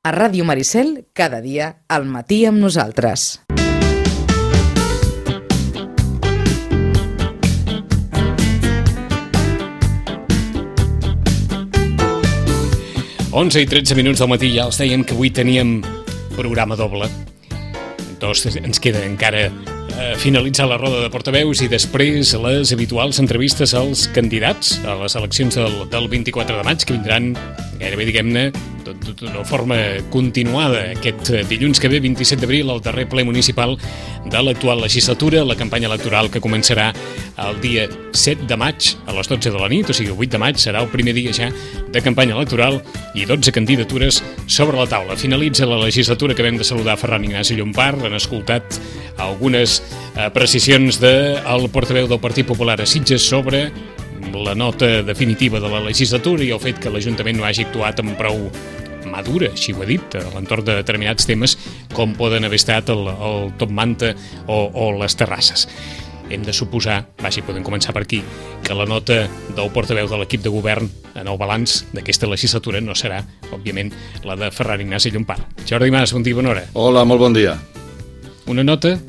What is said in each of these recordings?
A Ràdio Maricel, cada dia, al matí amb nosaltres. Onze i 13 minuts del matí, ja els dèiem que avui teníem programa doble. Doncs ens queda encara finalitzar la roda de portaveus i després les habituals entrevistes als candidats a les eleccions del 24 de maig, que vindran gairebé, diguem-ne, d'una forma continuada aquest dilluns que ve, 27 d'abril, al darrer ple municipal de l'actual legislatura, la campanya electoral que començarà el dia 7 de maig a les 12 de la nit, o sigui, el 8 de maig serà el primer dia ja de campanya electoral i 12 candidatures sobre la taula. Finalitza la legislatura, acabem de saludar Ferran Ignasi Llompart, han escoltat algunes precisions del portaveu del Partit Popular a Sitges sobre la nota definitiva de la legislatura i el fet que l'Ajuntament no hagi actuat amb prou mà dura, així ho ha dit, a l'entorn de determinats temes com poden haver estat el Top Manta o les terrasses. Hem de suposar, podem començar per aquí, que la nota del portaveu de l'equip de govern en el balanç d'aquesta legislatura no serà, òbviament, la de Ferran Ignasi Llompart. Jordi Mas, bon dia, bona hora. Hola, molt bon dia. Una nota?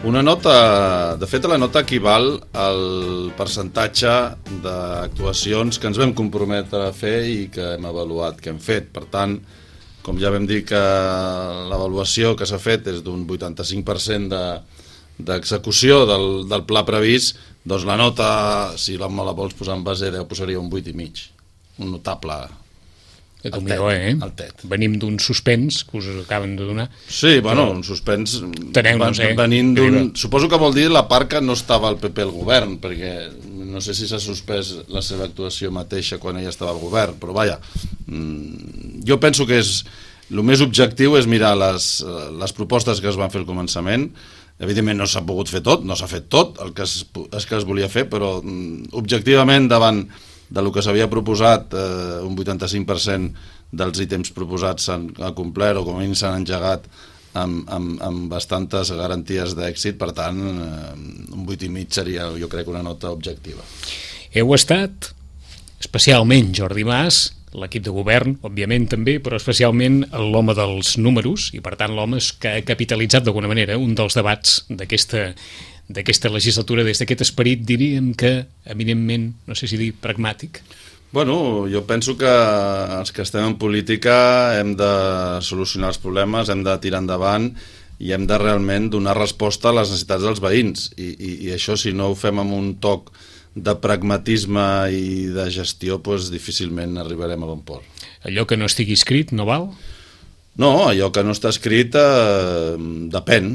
Una nota, de fet la nota equival al percentatge d'actuacions que ens vam comprometre a fer i que hem avaluat, que hem fet. Per tant, com ja vam dir que l'avaluació que s'ha fet és d'un 85% d'execució del pla previst, doncs la nota, si me la vols posar en base, posaria un 8,5, un notable. El TET. Venim d'un suspens que us acaben de donar. Sí, bueno, un suspens venint d'un... Suposo que vol dir la part que no estava al PP al govern, perquè no sé si s'ha suspès la seva actuació mateixa quan ella estava al govern, però vaja, jo penso que el més objectiu és mirar les propostes que es van fer al començament. Evidentment no s'ha pogut fer tot, no s'ha fet tot el que es volia fer, però objectivament davant del que s'havia proposat, un 85% dels ítems proposats s'han complert o com a mínim s'han engegat amb bastantes garanties d'èxit. Per tant, un 8,5 seria, jo crec, una nota objectiva. Heu estat, especialment Jordi Mas, l'equip de govern, òbviament també, però especialment l'home dels números, i per tant l'home que ha capitalitzat d'alguna manera un dels debats d'aquesta legislatura, des d'aquest esperit, diríem que, eminentment, no sé si dir pragmàtic. Bueno, jo penso que els que estem en política hem de solucionar els problemes, hem de tirar endavant i hem de realment donar resposta a les necessitats dels veïns. I això, si no ho fem amb un toc de pragmatisme i de gestió, doncs difícilment arribarem a bon port. Allò que no estigui escrit no val? No, allò que no està escrit depèn.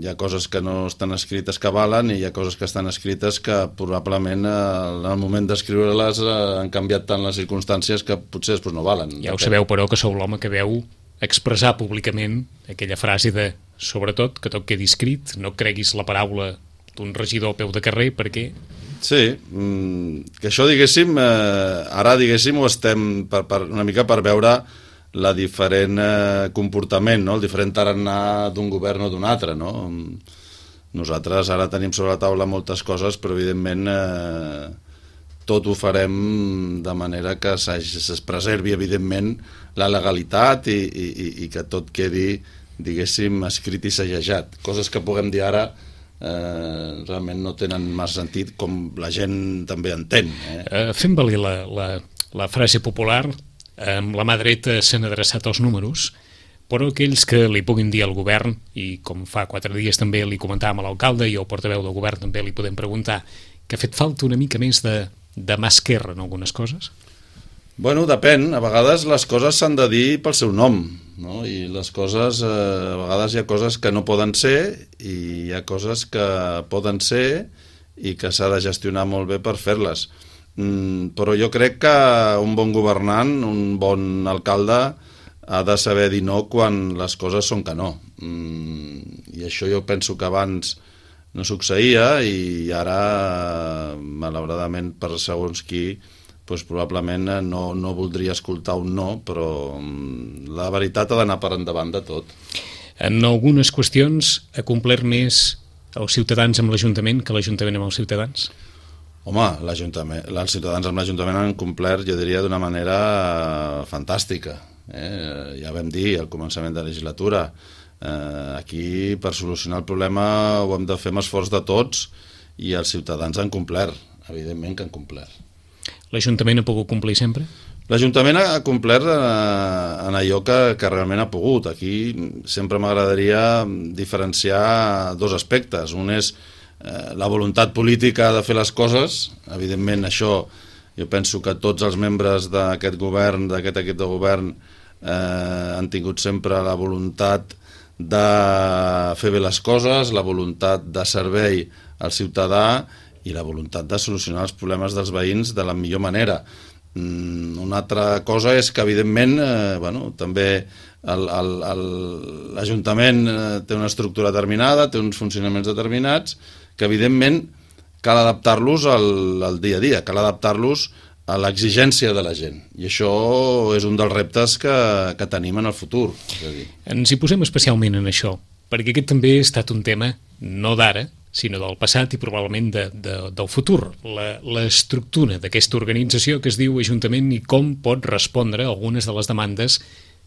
Hi ha coses que no estan escrites que valen i hi ha coses que estan escrites que probablement en el moment d'escriure-les han canviat tant les circumstàncies que potser després no valen. Ja ho sabeu, però, que sou l'home que veu expressar públicament aquella frase de, sobretot, que tot quedi escrit, no creguis la paraula d'un regidor a peu de carrer, perquè... Sí, que això, diguéssim, ara, diguéssim, ho estem una mica per veure la diferent comportament, no? El diferent tarannà d'un govern o d'un altre, no? Nosaltres ara tenim sobre la taula moltes coses, però evidentment tot ho farem de manera que es preservi evidentment la legalitat i que tot quedi, diguéssim, escrit i segejat. Coses que puguem dir ara realment no tenen massa sentit, com la gent també entén. Fem valer la frase popular: amb la mà dreta s'han adreçat els números, però aquells que li puguin dir al govern, i com fa 4 dies també li comentàvem a l'alcalde i al portaveu del govern també li podem preguntar, que ha fet falta una mica més de mà esquerra en algunes coses? Bueno, depèn. A vegades les coses s'han de dir pel seu nom, no? I les coses, a vegades hi ha coses que no poden ser i hi ha coses que poden ser i que s'ha de gestionar molt bé per fer-les. Però jo crec que un bon governant, un bon alcalde, ha de saber dir no quan les coses són que no. I això jo penso que abans no succeïa i ara, malauradament, per segons qui, doncs probablement no voldria escoltar un no, però la veritat ha d'anar per endavant de tot. En algunes qüestions ha complert més els ciutadans amb l'Ajuntament que l'Ajuntament amb els ciutadans? Home, els ciutadans amb l'Ajuntament han complert, jo diria, d'una manera fantàstica. Ja vam dir al començament de la legislatura, aquí per solucionar el problema ho hem de fer amb esforç de tots i els ciutadans han complert, evidentment que han complert. L'Ajuntament ha pogut complir sempre? L'Ajuntament ha complert en allò que realment ha pogut. Aquí sempre m'agradaria diferenciar dos aspectes. Un és la voluntat política de fer les coses. Evidentment, això jo penso que tots els membres d'aquest govern, d'aquest equip de govern, han tingut sempre la voluntat de fer bé les coses, la voluntat de servei al ciutadà i la voluntat de solucionar els problemes dels veïns de la millor manera. Una altra cosa és que evidentment també l'Ajuntament té una estructura determinada, té uns funcionaments determinats que evidentment cal adaptar-los al dia a dia, cal adaptar-los a l'exigència de la gent, i això és un dels reptes que tenim en el futur. Ens hi posem especialment en això, perquè aquest també ha estat un tema no d'ara, sinó del passat i probablement del futur. L'estructura d'aquesta organització que es diu Ajuntament i com pot respondre a algunes de les demandes,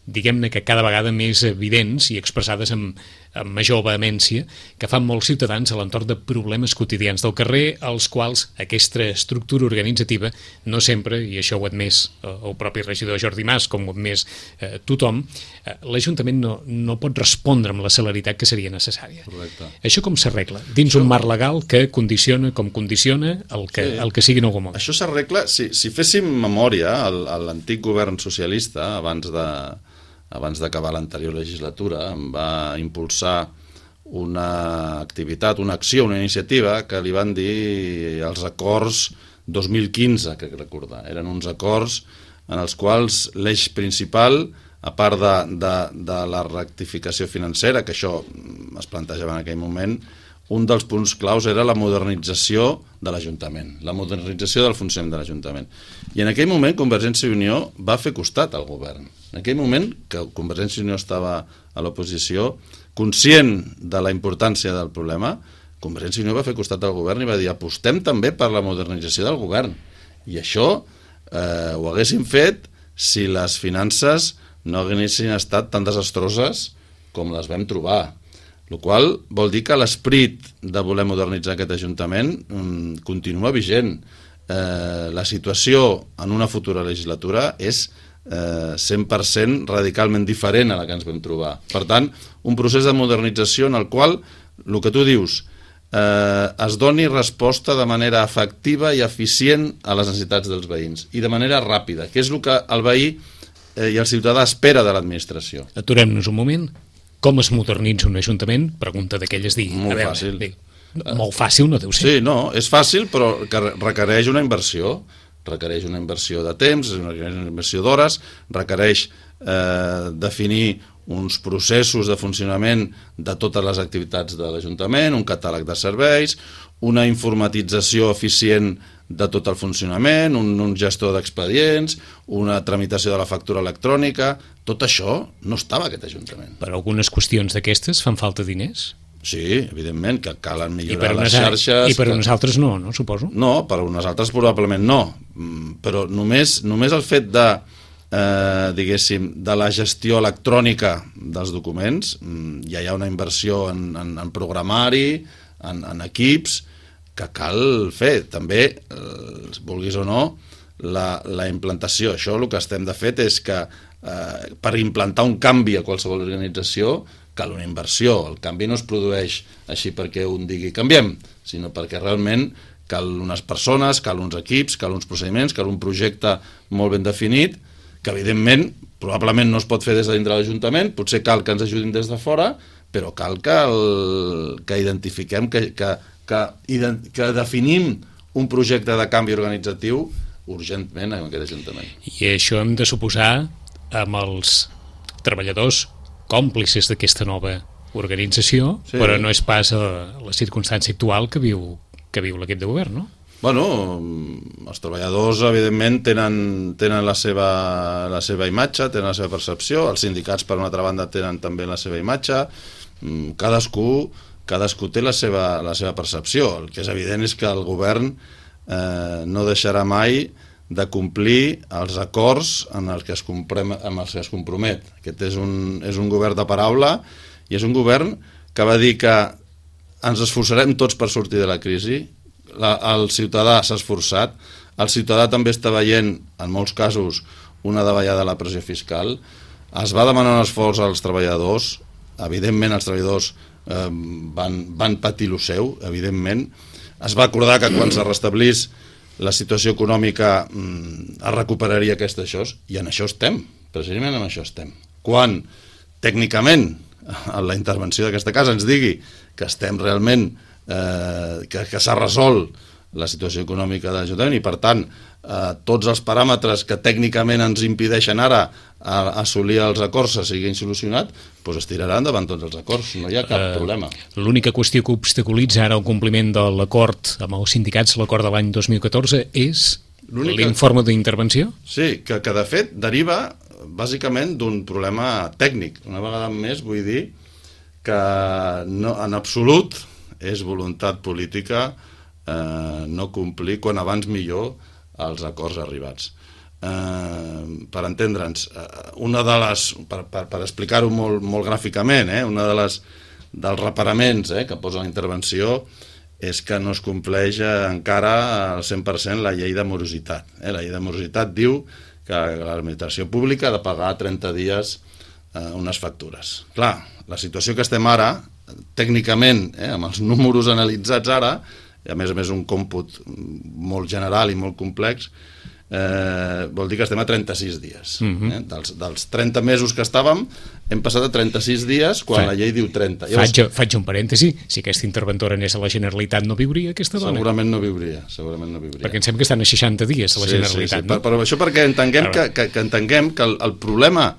diguem-ne que cada vegada més evidents i expressades amb major vehemència, que fan molts ciutadans a l'entorn de problemes quotidians del carrer, als quals aquesta estructura organitzativa no sempre, i això ho ha admès el propi regidor Jordi Mas, com ho ha admès tothom, l'Ajuntament no pot respondre amb la celeritat que seria necessària. Correcte. Això com s'arregla? Dins un marc legal que condiciona com condiciona el que sigui en algun moment. Això s'arregla, si féssim memòria, l'antic govern socialista, abans d'acabar l'anterior legislatura, em va impulsar una activitat, una acció, una iniciativa que li van dir els acords 2015, crec recordar. Eren uns acords en els quals l'eix principal, a part de la rectificació financera, que això es plantejava en aquell moment, un dels punts claus era la modernització de l'Ajuntament, la modernització del funcionament de l'Ajuntament. I en aquell moment Convergència i Unió va fer costat al govern. En aquell moment que Convergència i Unió estava a l'oposició, conscient de la importància del problema, Convergència i Unió va fer costat al govern i va dir apostem també per la modernització del govern. I això ho haguéssim fet si les finances no haguessin estat tan desastroses com les vam trobar. El qual vol dir que l'esperit de voler modernitzar aquest Ajuntament continua vigent. La situació en una futura legislatura és 100% radicalment diferent a la que ens vam trobar. Per tant, un procés de modernització en el qual, el que tu dius, es doni resposta de manera efectiva i eficient a les necessitats dels veïns i de manera ràpida, que és el que el veí i el ciutadà espera de l'administració. Aturem-nos un moment. Com es modernitza un ajuntament? Pregunta d'aquelles dir. Molt fàcil. Molt fàcil no deu ser. Sí, no, és fàcil, però que requereix una inversió. Requereix una inversió de temps, requereix una inversió d'hores, requereix definir uns processos de funcionament de totes les activitats de l'Ajuntament, un catàleg de serveis, una informatització eficient de tot el funcionament, un gestor d'expedients, una tramitació de la factura electrònica. Tot això no estava a aquest Ajuntament. Per algunes qüestions d'aquestes fan falta diners? Sí, evidentment, que calen millorar les xarxes. I per unes altres no, suposo? No, per unes altres probablement no. Però només el fet de, diguéssim, de la gestió electrònica dels documents, ja hi ha una inversió en programari, en equips, que cal fer. També, vulguis o no, la implantació. Això el que estem de fet és que per implantar un canvi a qualsevol organització cal una inversió. El canvi no es produeix així perquè un digui canviem, sinó perquè realment cal unes persones, cal uns equips, cal uns procediments, cal un projecte molt ben definit, que evidentment probablement no es pot fer des de dintre l'Ajuntament, potser cal que ens ajudin des de fora, però cal que identifiquem, que definim un projecte de canvi organitzatiu urgentment en aquest Ajuntament. I això hem de suposar amb els treballadors còmplices d'aquesta nova organització, sí. Però no és pas la circumstància actual que viu l'equip de govern, no? Bueno, els treballadors evidentment tenen la seva imatge, tenen la seva percepció, els sindicats per una altra banda tenen també la seva imatge, cadascú té la seva percepció. El que és evident és que el govern no deixarà mai de complir els acords en els que es compromet. Aquest és un govern de paraula i és un govern que va dir que ens esforçarem tots per sortir de la crisi. El ciutadà s'ha esforçat, el ciutadà també està veient, en molts casos, una davallada de la pressió fiscal. Es va demanar un esforç als treballadors, evidentment els treballadors van patir lo seu, evidentment. Es va acordar que quan se restablís la situació econòmica es recuperaria això, i en això estem, precisament en això estem. Quan, tècnicament, la intervenció d'aquesta casa ens digui que estem realment, que s'ha resolt la situació econòmica de l'Ajuntament i, per tant, tots els paràmetres que tècnicament ens impedeixen ara assolir els acords se siguin solucionats, doncs es tiraran davant tots els acords, no hi ha cap problema. L'única qüestió que obstaculitza ara el compliment de l'acord amb els sindicats, l'acord de l'any 2014, és l'informe d'intervenció? Sí, que de fet deriva bàsicament d'un problema tècnic. Una vegada més vull dir que en absolut és voluntat política no complir quan abans millor els acords arribats. Per entendre'ns, per explicar-ho molt gràficament, una dels reparaments que posa la intervenció és que no es compleix encara al 100% la llei de morositat. La llei de morositat diu que l'administració pública ha de pagar 30 dies unes factures. Clar, la situació que estem ara, tècnicament, amb els números analitzats ara, i a més un còmput molt general i molt complex, vol dir que estem a 36 dies. Dels 30 mesos que estàvem, hem passat a 36 dies quan la llei diu 30. Faig un parèntesi, si aquesta interventora anés a la Generalitat no viuria aquesta dona? Segurament no viuria. Perquè em sembla que estan a 60 dies a la Generalitat. No? Però això perquè entenguem que el problema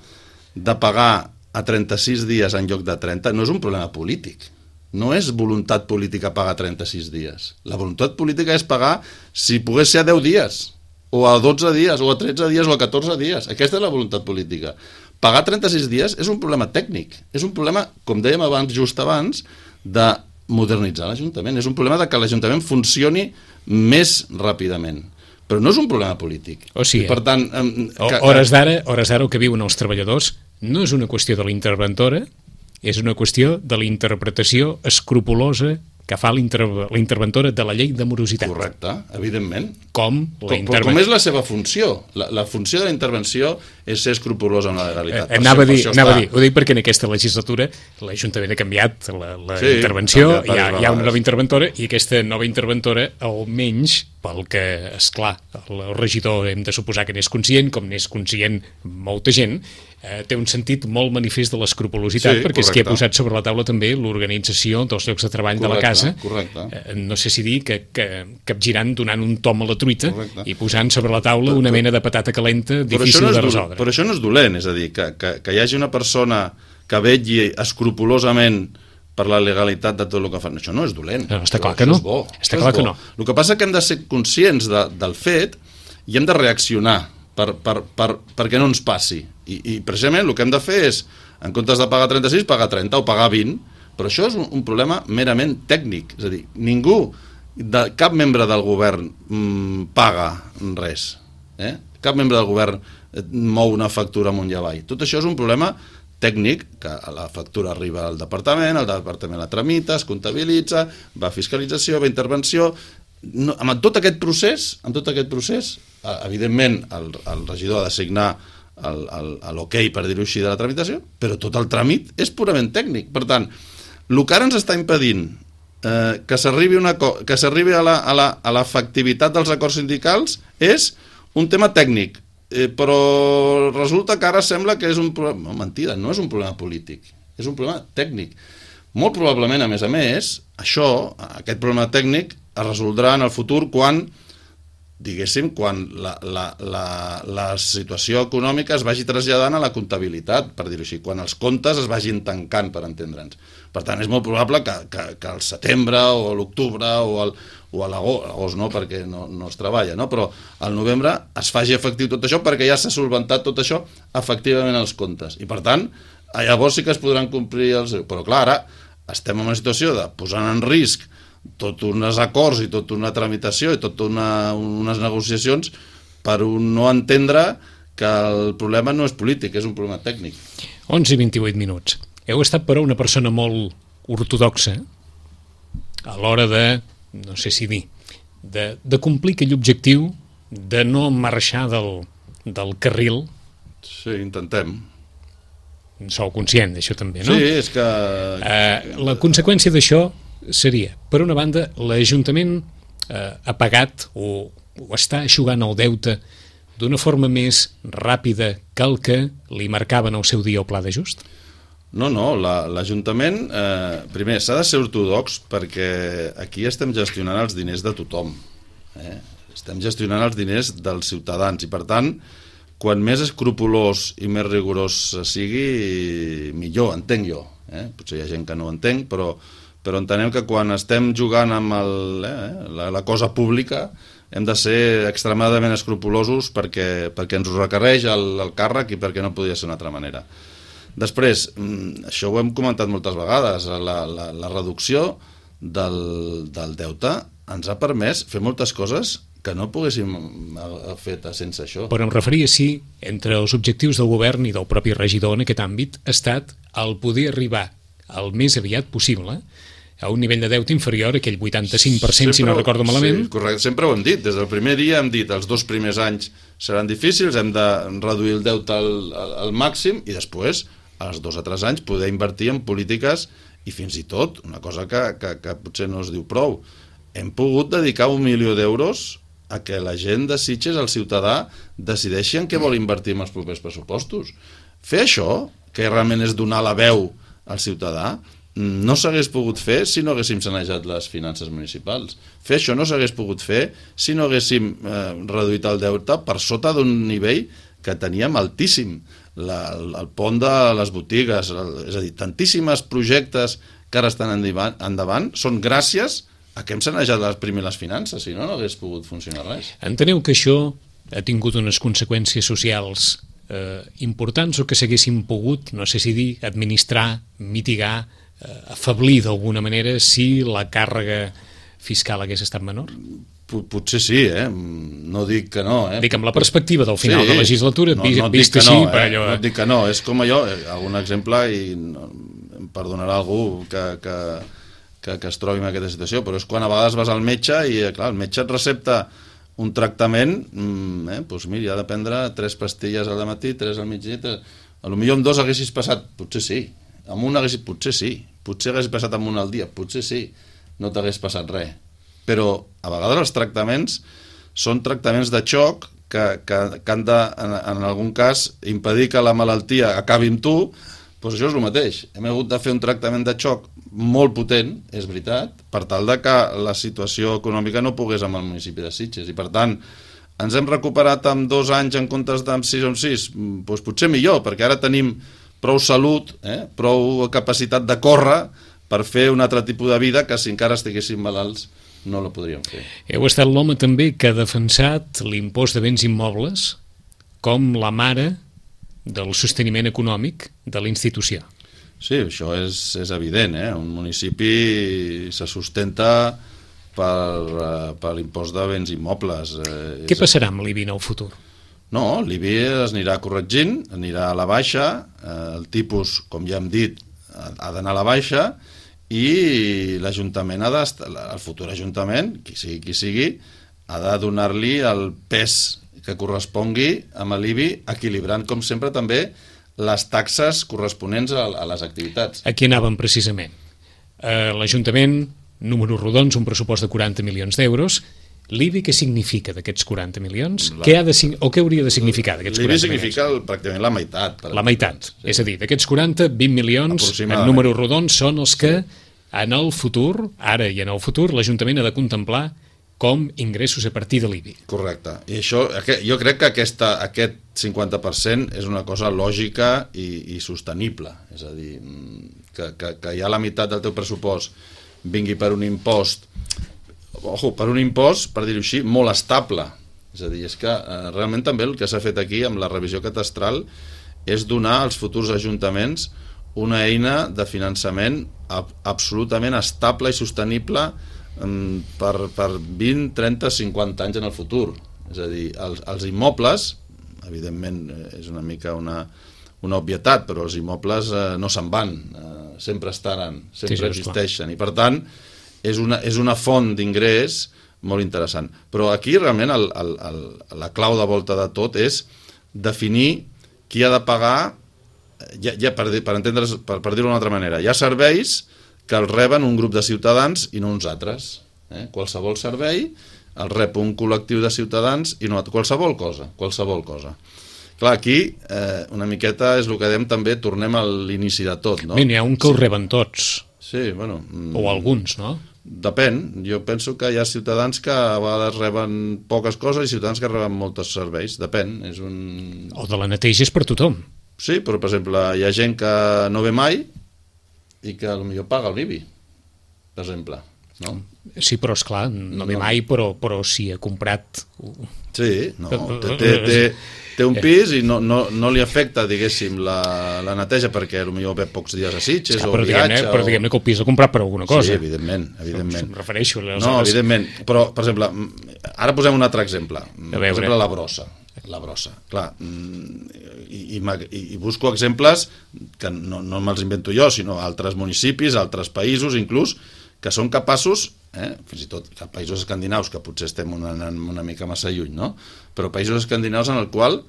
de pagar a 36 dies en lloc de 30 no és un problema polític. No és voluntat política pagar 36 dies. La voluntat política és pagar, si pogués ser a 10 dies, o a 12 dies, o a 13 dies, o a 14 dies. Aquesta és la voluntat política. Pagar 36 dies és un problema tècnic. És un problema, com dèiem just abans, de modernitzar l'Ajuntament. És un problema de que l'Ajuntament funcioni més ràpidament. Però no és un problema polític. O sigui, per tant, hores d'ara el que viuen els treballadors no és una qüestió de la interventora, és una qüestió de la interpretació escrupulosa que fa la interventora de la llei de morositat. Correcte, evidentment. Com és la seva funció? La funció de la intervenció és ser escrupulosa amb la legalitat. Anava a dir, ho dic perquè en aquesta legislatura l'Ajuntament ha canviat la intervenció, hi ha una nova interventora, i aquesta nova interventora, almenys pel que, esclar, el regidor hem de suposar que n'és conscient, com n'és conscient molta gent, té un sentit molt manifest de l'escrupulositat, perquè és que ha posat sobre la taula també l'organització dels llocs de treball de la casa. No sé si dir que capgirant, donant un tom a la truita i posant sobre la taula una mena de patata calenta difícil de resoldre. Però això no és dolent, és a dir, que hi hagi una persona que vetlli escrupulosament per la legalitat de tot el que fan. Això no és dolent. Està clar que no. Està clar que no. El que passa és que hem de ser conscients del fet i hem de reaccionar perquè no ens passi. I precisament el que hem de fer és, en comptes de pagar 36, pagar 30 o pagar 20, però això és un problema merament tècnic. És a dir, cap membre del govern paga res. Cap membre del govern mou una factura amunt i avall. Tot això és un problema tècnic, que la factura arriba al departament, el departament la tramita, es comptabilitza, va a fiscalització, va a intervenció. Amb tot aquest procés, evidentment el regidor ha de signar l'ok, per dir-ho així, de la tramitació, però tot el tràmit és purament tècnic. Per tant, el que ara ens està impedint que s'arribi a l'efectivitat dels acords sindicals és un tema tècnic, però resulta que ara sembla que és un problema... No, mentida, no és un problema polític, és un problema tècnic. Molt probablement, a més, aquest problema tècnic es resoldrà en el futur quan la situació econòmica es vagi traslladant a la comptabilitat, per dir-ho així, quan els comptes es vagin tancant, per entendre'ns. Per tant, és molt probable que al setembre o a l'octubre o a l'agost, no, perquè no es treballa, no? Però al novembre es faci efectiu tot això perquè ja s'ha solventat tot això efectivament als comptes. I per tant, llavors sí que es podran complir els... Però clar, ara estem en una situació de posar en risc tot uns acords i tota una tramitació i totes unes negociacions per no entendre que el problema no és polític, és un problema tècnic. 11:28. Heu estat, però, una persona molt ortodoxa a l'hora de, no sé si dir, de complir aquell objectiu de no marxar del carril. Sí, intentem. Sou conscient d'això també, no? Sí, és que... La conseqüència d'això seria, per una banda, l'Ajuntament ha pagat o està eixugant el deute d'una forma més ràpida que el que li marcaven al seu dia el pla d'ajust? No, l'Ajuntament, primer, s'ha de ser ortodox perquè aquí estem gestionant els diners de tothom. Estem gestionant els diners dels ciutadans i, per tant, quan més escrupolós i més rigorós sigui, millor, entenc jo. Potser hi ha gent que no ho entenc, però entenem que quan estem jugant amb la cosa pública hem de ser extremadament escrupulosos perquè ens ho requereix el càrrec i perquè no podia ser d'una altra manera. Després, això ho hem comentat moltes vegades, la reducció del deute ens ha permès fer moltes coses que no poguéssim haver fet sense això. Però em referia si entre els objectius del govern i del propi regidor en aquest àmbit ha estat el poder arribar el més aviat possible a un nivell de deute inferior a aquell 85%, si no recordo malament. Sí, correcte, sempre ho hem dit. Des del primer dia hem dit els 2 primers anys seran difícils, hem de reduir el deute al màxim i després, als 2 o 3 anys, poder invertir en polítiques i fins i tot, una cosa que potser no es diu prou, hem pogut dedicar 1 milió d'euros a que la gent de Sitges, el ciutadà, decideixi en què vol invertir en els propers pressupostos. Fer això, que realment és donar la veu al ciutadà, no s'hagués pogut fer si no haguéssim sanejat les finances municipals. Fer això no s'hagués pogut fer si no haguéssim reduït el deute per sota d'un nivell que teníem altíssim. El pont de les botigues, és a dir, tantíssims projectes que ara estan endavant són gràcies a que hem sanejat les finances, si no hagués pogut funcionar res. Enteneu que això ha tingut unes conseqüències socials importants o que s'haguessin pogut, no sé si dir, administrar, mitigar, afeblir d'alguna manera si la càrrega fiscal hagués estat menor? Potser sí, no dic que no. Dic, amb la perspectiva del final de legislatura, vist així... No et dic que no, és com allò, algun exemple, i em perdonarà algú que es trobi en aquesta situació, però és quan a vegades vas al metge i, clar, el metge et recepta un tractament, doncs mira, ha de prendre 3 pastilles al matí, 3 al migdia, potser amb 2 haguessis passat, potser sí, amb un potser sí, potser haguessis passat amb un al dia, potser sí, no t'hagués passat res. Però a vegades els tractaments són tractaments de xoc que han de, en algun cas, impedir que la malaltia acabi amb tu, doncs això és el mateix. Hem hagut de fer un tractament de xoc molt potent, és veritat, per tal de que la situació econòmica no pogués amb el municipi de Sitges. I per tant, ens hem recuperat amb 2 anys en comptes d'amb 6 o 6? Doncs potser millor, perquè ara tenim prou salut, prou capacitat de córrer per fer un altre tipus de vida que si encara estiguéssim malalts no la podríem fer. Heu estat l'home també que ha defensat l'impost de béns immobles com la mare del sosteniment econòmic de la institució. Sí, això és evident. Un municipi se sustenta per l'impost de béns immobles. Què passarà amb l'IBI en el futur? No, l'IBI es anirà corregint, anirà a la baixa, el tipus, com ja hem dit, ha d'anar a la baixa, i l'Ajuntament el futur Ajuntament, qui sigui, ha de donar-li el pes que correspongui amb l'IBI, equilibrant, com sempre, també les taxes corresponents a les activitats. Aquí anàvem precisament. L'Ajuntament, números rodons, un pressupost de 40 milions d'euros. L'IBI què significa d'aquests 40 milions? Què hauria de significar d'aquests 40 milions? L'IBI significa pràcticament la meitat. La meitat. Sí. És a dir, d'aquests 40, 20 milions en números rodons són els que en el futur, ara i en el futur, l'Ajuntament ha de contemplar com ingressos a partir de l'IBI. Correcte. I això, jo crec que aquest 50% és una cosa lògica i sostenible. És a dir, que ja la meitat del teu pressupost vingui per un impost, per dir-ho així, molt estable. És a dir, és que realment també el que s'ha fet aquí amb la revisió catastral és donar als futurs ajuntaments una eina de finançament absolutament estable i sostenible per 20, 30, 50 anys en el futur. És a dir, els immobles, evidentment és una mica una obvietat, però els immobles no se'n van, sempre estaran, sempre existeixen, i per tant és una font d'ingrés molt interessant. Però aquí realment la clau de volta de tot és definir qui ha de pagar, per dir-ho d'una altra manera. Hi ha serveis que els reben un grup de ciutadans i no uns altres. Qualsevol servei el rep un col·lectiu de ciutadans i no qualsevol cosa. Clar, aquí una miqueta és el que dèiem també, tornem a l'inici de tot, no? N'hi ha un que ho reben tots. Sí, bueno... O alguns, no? Depèn. Jo penso que hi ha ciutadans que a vegades reben poques coses i ciutadans que reben molts serveis. Depèn. O de la neteja és per tothom. Sí, però per exemple hi ha gent que no ve mai i que potser paga l'IBI, per exemple. No? Sí, però esclar, no ve mai, però si ha comprat... Sí, no, té un pis i no li afecta, diguéssim, la neteja perquè potser ve pocs dies a Sitges o viatge. Però diguem-ne que el pis l'ha comprat per alguna cosa. Sí, evidentment. Em refereixo. No, evidentment. Però, per exemple, ara posem un altre exemple. Per exemple, la brossa. Clar, i busco exemples que no me'ls invento jo, sinó altres municipis, altres països, inclús, que són capaços, fins i tot països escandinaus, que potser estem una mica massa lluny, no? Però països escandinaus en el qual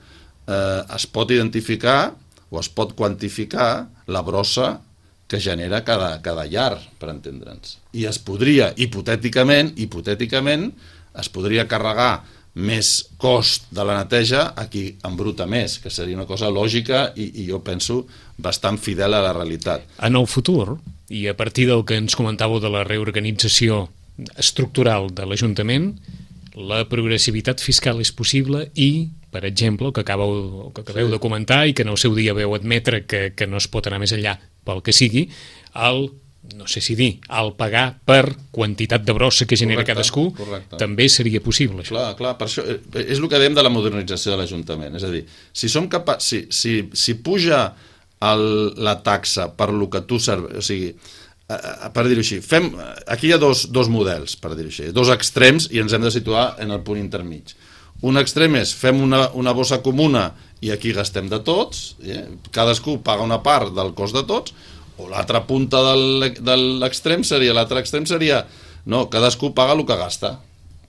es pot identificar o es pot quantificar la brossa que genera cada llar, per entendre'ns. I es podria, hipotèticament, es podria carregar més cost de la neteja a qui embruta més, que seria una cosa lògica i jo penso bastant fidel a la realitat. En el futur, i a partir del que ens comentàveu de la reorganització estructural de l'Ajuntament, la progressivitat fiscal és possible i, per exemple, el que acabeu de comentar i que en el seu dia veu admetre que no es pot anar més enllà pel que sigui, no sé si dir, el pagar per quantitat de brossa que genera cadascú, també seria possible, això. Clar, per això és el que dèiem de la modernització de l'Ajuntament. És a dir, si puja la taxa per lo que tu serveix, o sigui, per dir-ho així, aquí hi ha dos models, per dir-ho així, dos extrems i ens hem de situar en el punt intermig. Un extrem és fem una bossa comuna i aquí gastem de tots, cadascú paga una part del cost de tots, o l'altra punta de l'extrem seria no, cadascú paga el que gasta,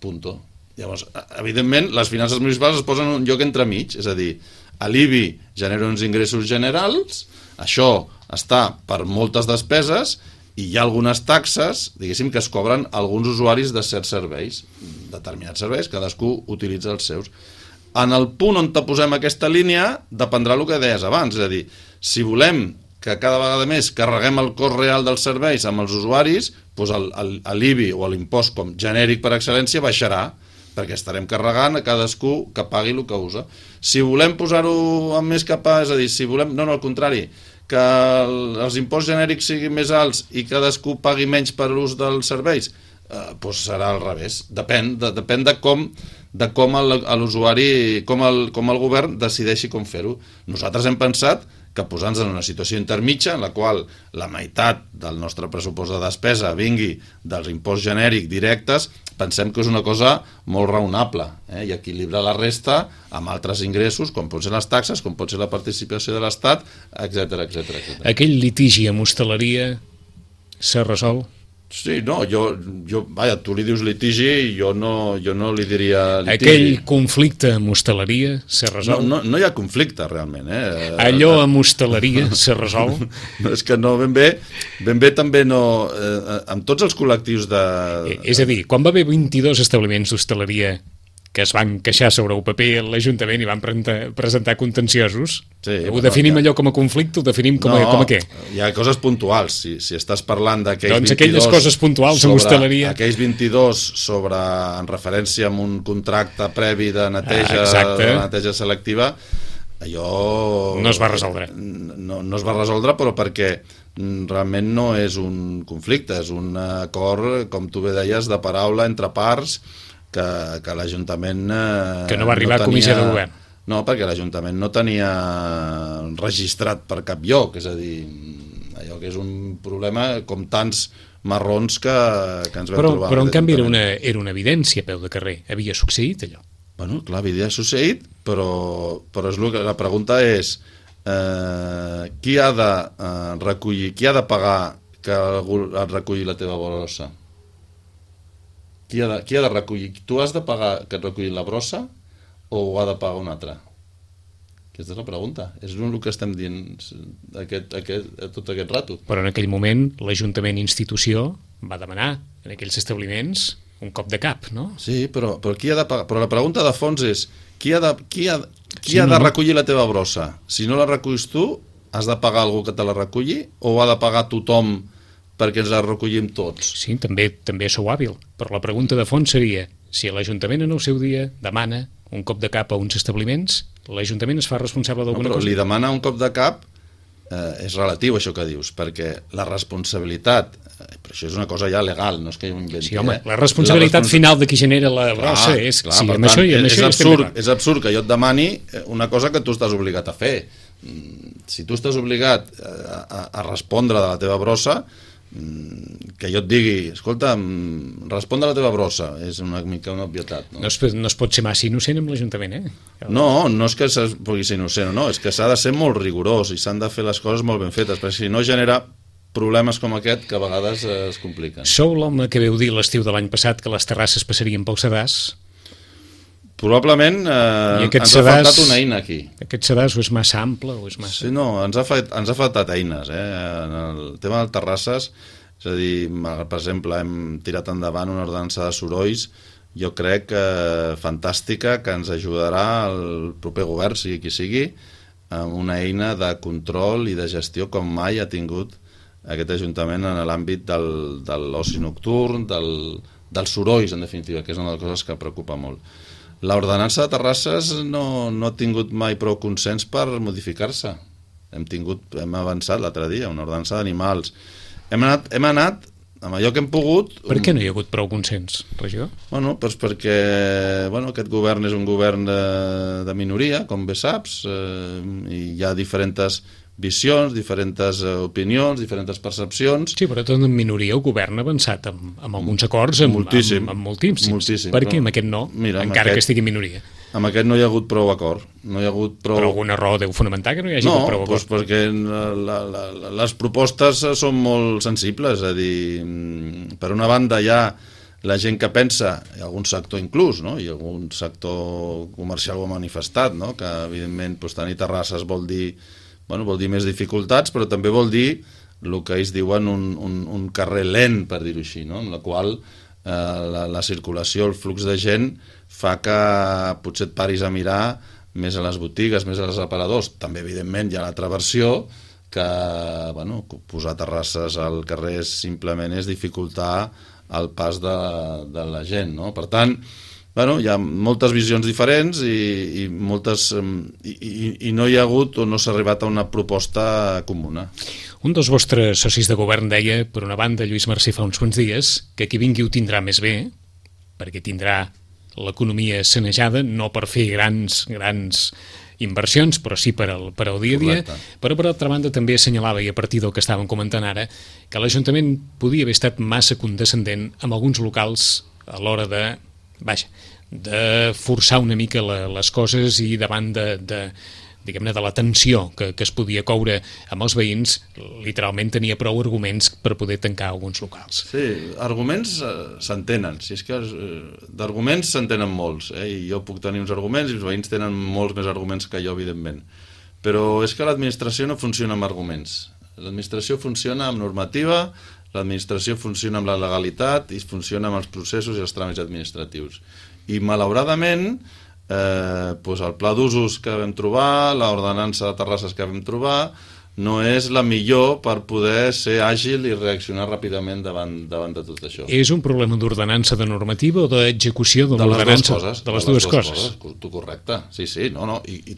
punto. Llavors, evidentment, les finances municipals es posen en un lloc entremig, és a dir, l'IBI genera uns ingressos generals, això està per moltes despeses i hi ha algunes taxes, diguéssim, que es cobren alguns usuaris de certs serveis, determinats serveis, cadascú utilitza els seus. En el punt on te posem aquesta línia dependrà el que deies abans, és a dir, si volem que cada vegada més carreguem el cost real dels serveis amb els usuaris, doncs l'IBI o l'impost com genèric per excel·lència baixarà, perquè estarem carregant a cadascú que pagui el que usa. Si volem posar-ho amb més cap a, és a dir, si volem, no, al contrari, que els imposts genèrics siguin més alts i cadascú pagui menys per l'ús dels serveis, doncs serà al revés. Depèn de com l'usuari, com el govern decideixi com fer-ho. Nosaltres hem pensat que posant-nos en una situació intermitja en la qual la meitat del nostre pressupost de despesa vingui dels imposts genèrics directes, pensem que és una cosa molt raonable, i equilibrar la resta amb altres ingressos, com pot ser les taxes, com pot ser la participació de l'Estat, etc. Aquell litigi amb hostaleria s'ha resolt? Sí, no, vaja, tu li dius litigi i jo no li diria litigi. Aquell conflicte amb hostaleria s'ha resolt? No hi ha conflicte, realment. Allò amb hostaleria s'ha resolt? No, és que no, ben bé també no... Amb tots els col·lectius de... És a dir, quan va haver 22 establiments d'hostaleria que es van queixar sobre el paper a l'Ajuntament i van presentar contenciosos, ho definim allò com a conflicte, ho definim com a què? Hi ha coses puntuals, si estàs parlant d'aquells 22... Doncs aquelles coses puntuals amb hostaleria... Aquells 22 en referència amb un contracte previ de neteja, de neteja selectiva, allò... No es va resoldre. No es va resoldre, però perquè realment no és un conflicte, és un acord, com tu bé deies, de paraula entre parts, que l'Ajuntament... Que no va arribar a comissió de govern. No, perquè l'Ajuntament no tenia registrat per cap lloc, és a dir, allò que és un problema com tants marrons que ens vam trobar. Però en canvi era una evidència a peu de carrer, havia succeït allò. Bueno, clar, havia succeït, però és que la pregunta és qui ha de recollir, qui ha de pagar que algú et reculli la teva brossa? Qui ha de recollir? Tu has de pagar que et reculli la brossa o ho ha de pagar un altre? Aquesta és la pregunta. És el que estem dient tot aquest rato. Però en aquell moment l'Ajuntament institució va demanar en aquells establiments un cop de cap, no? Sí, però qui ha de pagar? Però la pregunta de fons és qui ha de recollir la teva brossa? Si no la reculls tu, has de pagar algú que te la reculli o ha de pagar tothom perquè ens la recollim tots? Sí, també sou hàbil, però la pregunta de fons seria si l'Ajuntament en el seu dia demana un cop de cap a uns establiments, l'Ajuntament es fa responsable d'alguna cosa? Li demana un cop de cap, és relatiu això que dius, perquè la responsabilitat, però això és una cosa ja legal, no és que jo m'inventi. Sí, home, la responsabilitat final de qui genera la brossa és... Clar, sí, per tant, és absurd que jo et demani una cosa que tu estàs obligat a fer. Si tu estàs obligat a respondre de la teva brossa, que jo et digui, escolta, respon de la teva brossa, és una mica una obvietat. No es pot ser massa innocent amb l'Ajuntament, eh? No és que pugui ser innocent o no, és que s'ha de ser molt rigorós i s'han de fer les coses molt ben fetes, perquè si no genera problemes com aquest que a vegades es compliquen. Sou l'home que veu dir l'estiu de l'any passat que les terrasses passarien pel sedàs? Probablement ens ha faltat una eina aquí. Aquest sedàs o és massa ample o és massa... Sí, no, ens ha faltat eines. En el tema de terrasses, és a dir, per exemple, hem tirat endavant una ordenança de sorolls, jo crec fantàstica, que ens ajudarà el proper govern, sigui qui sigui, amb una eina de control i de gestió com mai ha tingut aquest Ajuntament en l'àmbit de l'oci nocturn, dels sorolls, en definitiva, que és una de les coses que preocupa molt. L'ordenança de terrasses no ha tingut mai prou consens per modificar-se. Hem avançat l'altre dia, una ordenança d'animals. Hem anat amb allò que hem pogut... Per què no hi ha hagut prou consens, regidor? Bueno, doncs perquè aquest govern és un govern de minoria, com bé saps, i hi ha diferents visions, diferents opinions, diferents percepcions. Sí, però tot en minoria el govern ha avançat amb alguns acords, amb moltíssims. Per què amb aquest no, encara que estigui en minoria? Amb aquest no hi ha hagut prou acord. Però alguna raó deu fonamentar que no hi hagi hagut prou acord? No, perquè les propostes són molt sensibles, és a dir, per una banda hi ha la gent que pensa, i algun sector inclús, no? I algun sector comercial ho ha manifestat, no? Que evidentment tenir terrasses vol dir més dificultats, però també vol dir el que ells diuen un carrer lent, per dir-ho així, no? En la qual la circulació, el flux de gent fa que potser et paris a mirar més a les botigues, més als aparadors. També, evidentment, hi ha l'altra versió que posar terrasses al carrer simplement és dificultar el pas de la gent, no? Per tant, hi ha moltes visions diferents i no hi ha hagut o no s'ha arribat a una proposta comuna. Un dels vostres socis de govern deia, per una banda, Lluís Marcí fa uns quants dies, que qui vingui ho tindrà més bé, perquè tindrà l'economia sanejada, no per fer grans inversions, però sí per al dia a dia. Correcte. Però per altra banda també assenyalava, i a partir del que estàvem comentant ara, que l'Ajuntament podia haver estat massa condescendent amb alguns locals a l'hora de forçar una mica les coses i davant diguem-ne, de la tensió que es podia coure amb els veïns, literalment tenia prou arguments per poder tancar alguns locals. Sí, arguments s'entenen, si és que d'arguments s'entenen molts, i jo puc tenir uns arguments i els veïns tenen molts més arguments que jo, evidentment, però és que l'administració no funciona amb arguments, l'administració funciona amb normativa, l'administració funciona amb la legalitat i funciona amb els processos i els tràmits administratius. I malauradament, el pla d'usos que vam trobar, l'ordenança de terrasses que vam trobar, no és la millor per poder ser àgil i reaccionar ràpidament davant de tot això. És un problema d'ordenança de normativa o d'execució de l'ordenança? De les dues coses. Tu correcte, sí, i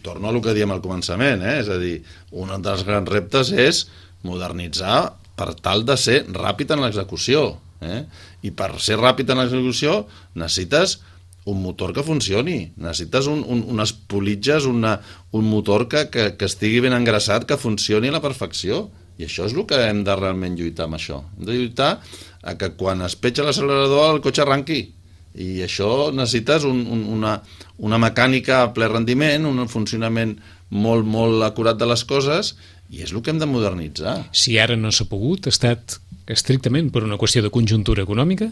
torno a el que diem al començament, és a dir, un dels grans reptes és modernitzar per tal de ser ràpid en l'execució, i per ser ràpid en l'execució necessites un motor que funcioni, necessites unes politges, un motor que estigui ben engraçat, que funcioni a la perfecció, i això és el que hem de realment lluitar amb això. Hem de lluitar a que quan es petja l'accelerador el cotxe arranqui, I això necessites una mecànica a ple rendiment, un funcionament molt, molt acurat de les coses, i és el que hem de modernitzar. Si ara no s'ha pogut, ha estat estrictament per una qüestió de conjuntura econòmica?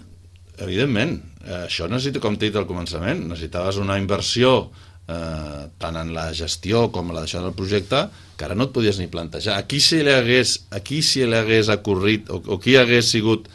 Evidentment. Això necessita, com t'he dit al començament, necessitaves una inversió tant en la gestió com en la deixada del projecte, que ara no et podies ni plantejar. A qui se li hagués ocorrit, o qui hagués sigut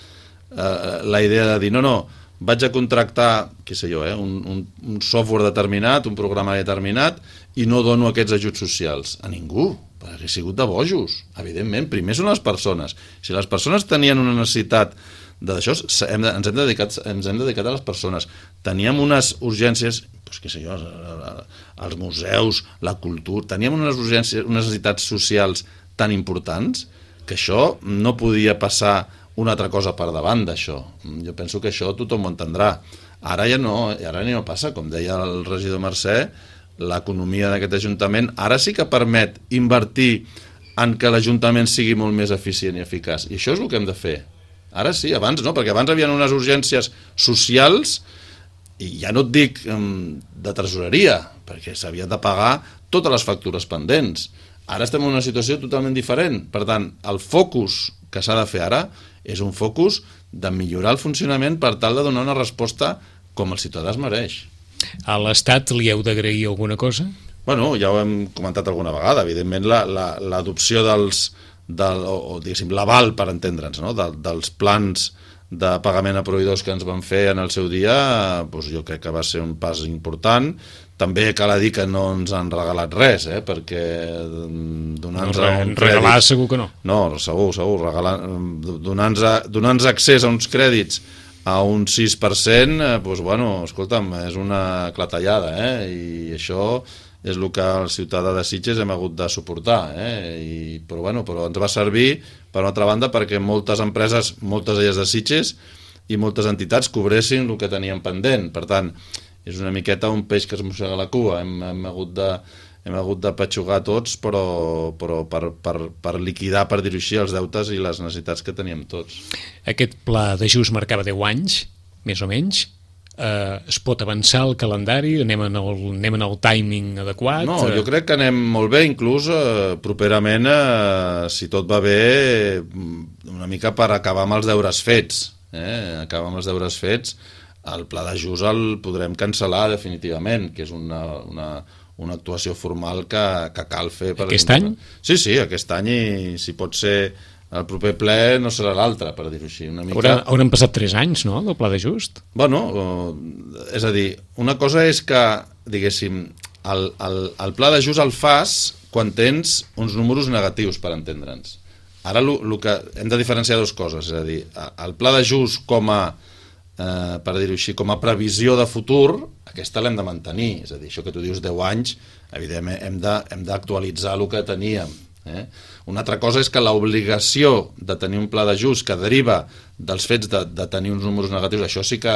la idea de dir no, vaig a contractar, què sé jo, un software determinat, un programa determinat, i no dono aquests ajuts socials? A ningú. Hauria sigut de bojos, evidentment. Primer són les persones. Si les persones tenien una necessitat d'això, ens hem dedicat a les persones. Teníem unes urgències, què sé jo, els museus, la cultura, teníem unes urgències, unes necessitats socials tan importants que això no podia passar una altra cosa per davant d'això. Jo penso que això tothom ho entendrà. Ara ja no passa, com deia el regidor Mercè, l'economia d'aquest Ajuntament ara sí que permet invertir en que l'Ajuntament sigui molt més eficient i eficaç. I això és el que hem de fer. Ara sí, abans no, perquè abans hi havia unes urgències socials, i ja no et dic de tresoreria, perquè s'havien de pagar totes les factures pendents. Ara estem en una situació totalment diferent. Per tant, el focus que s'ha de fer ara és un focus de millorar el funcionament per tal de donar una resposta com el ciutadà es mereix. A l'Estat li heu d'agrair alguna cosa? Bueno, ja ho hem comentat alguna vegada. Evidentment, l'adopció l'aval, per entendre'ns, no? dels plans de pagament a proveïdors que ens van fer en el seu dia, doncs jo crec que va ser un pas important. També cal dir que no ens han regalat res, perquè donant-nos regalar segur que no. No, segur, donant-nos accés a uns crèdits a un 6%, doncs bueno, escolta'm, és una clatellada, i això és el que el ciutadà de Sitges hem hagut de suportar, però ens va servir, per una altra banda, perquè moltes empreses, moltes d'elles de Sitges, i moltes entitats cobressin el que tenien pendent. Per tant, és una miqueta un peix que es mossega la cua. Hem hagut de patxugar tots, però per liquidar, per dir-ho així, els deutes i les necessitats que teníem tots. Aquest pla d'ajust marcava 10 anys, més o menys. Es pot avançar el calendari? Anem en el timing adequat? No, jo crec que anem molt bé, inclús properament, si tot va bé, una mica per acabar amb els deures fets. Acabar amb els deures fets, el pla d'ajust el podrem cancel·lar definitivament, que és una actuació formal que cal fer. Aquest any? Sí, aquest any, i si pot ser el proper ple no serà l'altre, per dir-ho així. Hauran passat 3 anys, no?, del pla d'ajust? Bueno, és a dir, una cosa és que, diguéssim, el pla d'ajust el fas quan tens uns números negatius, per entendre'ns. Ara el que hem de diferenciar dues coses, és a dir, el pla d'ajust com a, per dir-ho així, com a previsió de futur, aquesta l'hem de mantenir. És a dir, això que tu dius 10 anys, evidentment hem d'actualitzar el que teníem. Una altra cosa és que l'obligació de tenir un pla d'ajust que deriva dels fets de tenir uns números negatius, això sí que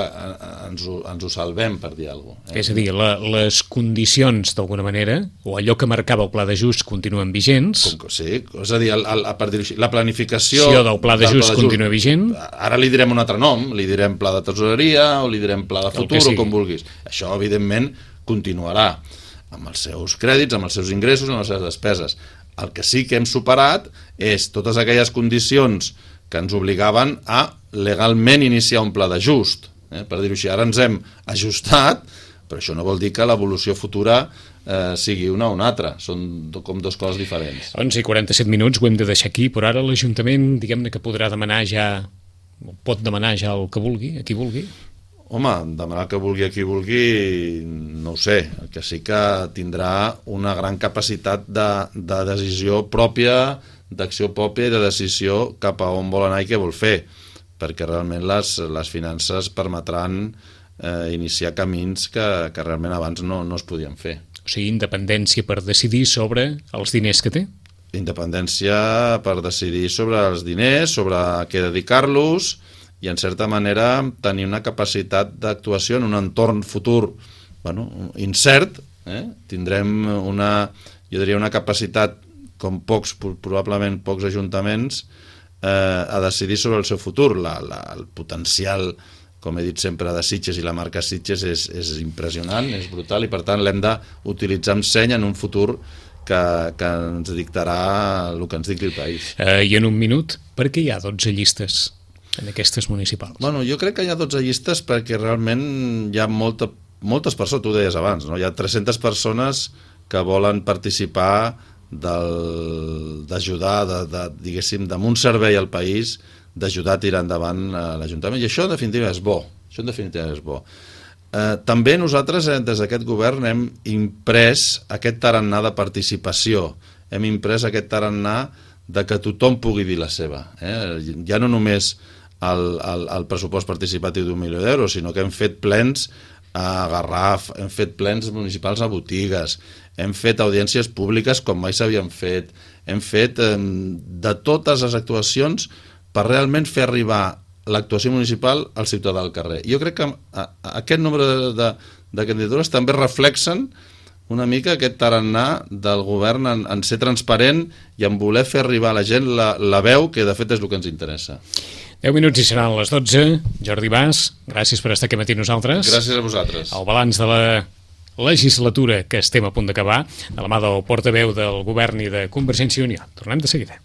ens ho salvem, per dir alguna cosa. És a dir, les condicions, d'alguna manera, o allò que marcava el pla d'ajust continuen vigents. Sí, és a dir, per dir-ho així, la planificació del pla d'ajust continua vigent. Ara li direm un altre nom, li direm pla de tresoreria o li direm pla de futur o com vulguis. Això, evidentment, continuarà amb els seus crèdits, amb els seus ingressos, amb les seves despeses. El que sí que hem superat és totes aquelles condicions que ens obligaven a legalment iniciar un pla d'ajust. Per dir-ho així, ara ens hem ajustat, però això no vol dir que l'evolució futura sigui una o una altra. Són com dues coses diferents. 11:47 minuts, ho hem de deixar aquí, però ara l'Ajuntament, diguem-ne que podrà demanar ja, pot demanar ja el que vulgui, a qui vulgui. Home, demanar que vulgui a qui vulgui, no ho sé. El que sí que tindrà una gran capacitat de decisió pròpia, d'acció pròpia i de decisió cap a on vol anar i què vol fer, perquè realment les finances permetran iniciar camins que realment abans no es podien fer. O sigui, independència per decidir sobre els diners que té? Independència per decidir sobre els diners, sobre a què dedicar-los, i en certa manera tenir una capacitat d'actuació en un entorn futur incert. Tindrem jo diria una capacitat com probablement pocs ajuntaments a decidir sobre el seu futur. El potencial com he dit sempre, de Sitges, i la marca Sitges és impressionant, és brutal, i per tant l'hem d'utilitzar amb seny en un futur que ens dictarà el que ens dicti el país. I en un minut, per què hi ha 12 llistes en aquestes municipals? Bueno, jo crec que hi ha 12 llistes perquè realment hi ha moltes persones, tu ho deies abans, no? Hi ha 300 persones que volen participar d'ajudar, diguéssim, d'un servei al país, d'ajudar a tirar endavant l'Ajuntament, i això en definitiva és bo. També nosaltres des d'aquest govern hem imprès aquest tarannà de participació, hem imprès aquest tarannà de que tothom pugui dir la seva. Ja no només el pressupost participatiu d'1 milió d'euros, sinó que hem fet plens a Garraf, hem fet plens municipals a botigues, hem fet audiències públiques com mai s'havien fet, hem fet de totes les actuacions per realment fer arribar l'actuació municipal al ciutadà al carrer. Jo crec que aquest nombre de candidatures també reflexen una mica aquest tarannà del govern en ser transparent i en voler fer arribar a la gent la veu, que de fet és el que ens interessa. 10 minuts i seran les 12. Jordi Bas, gràcies per estar aquí matí nosaltres. Gràcies a vosaltres. El balanç de la legislatura que estem a punt d'acabar, de la mà del portaveu del govern i de Convergència i Unió. Tornem de seguida.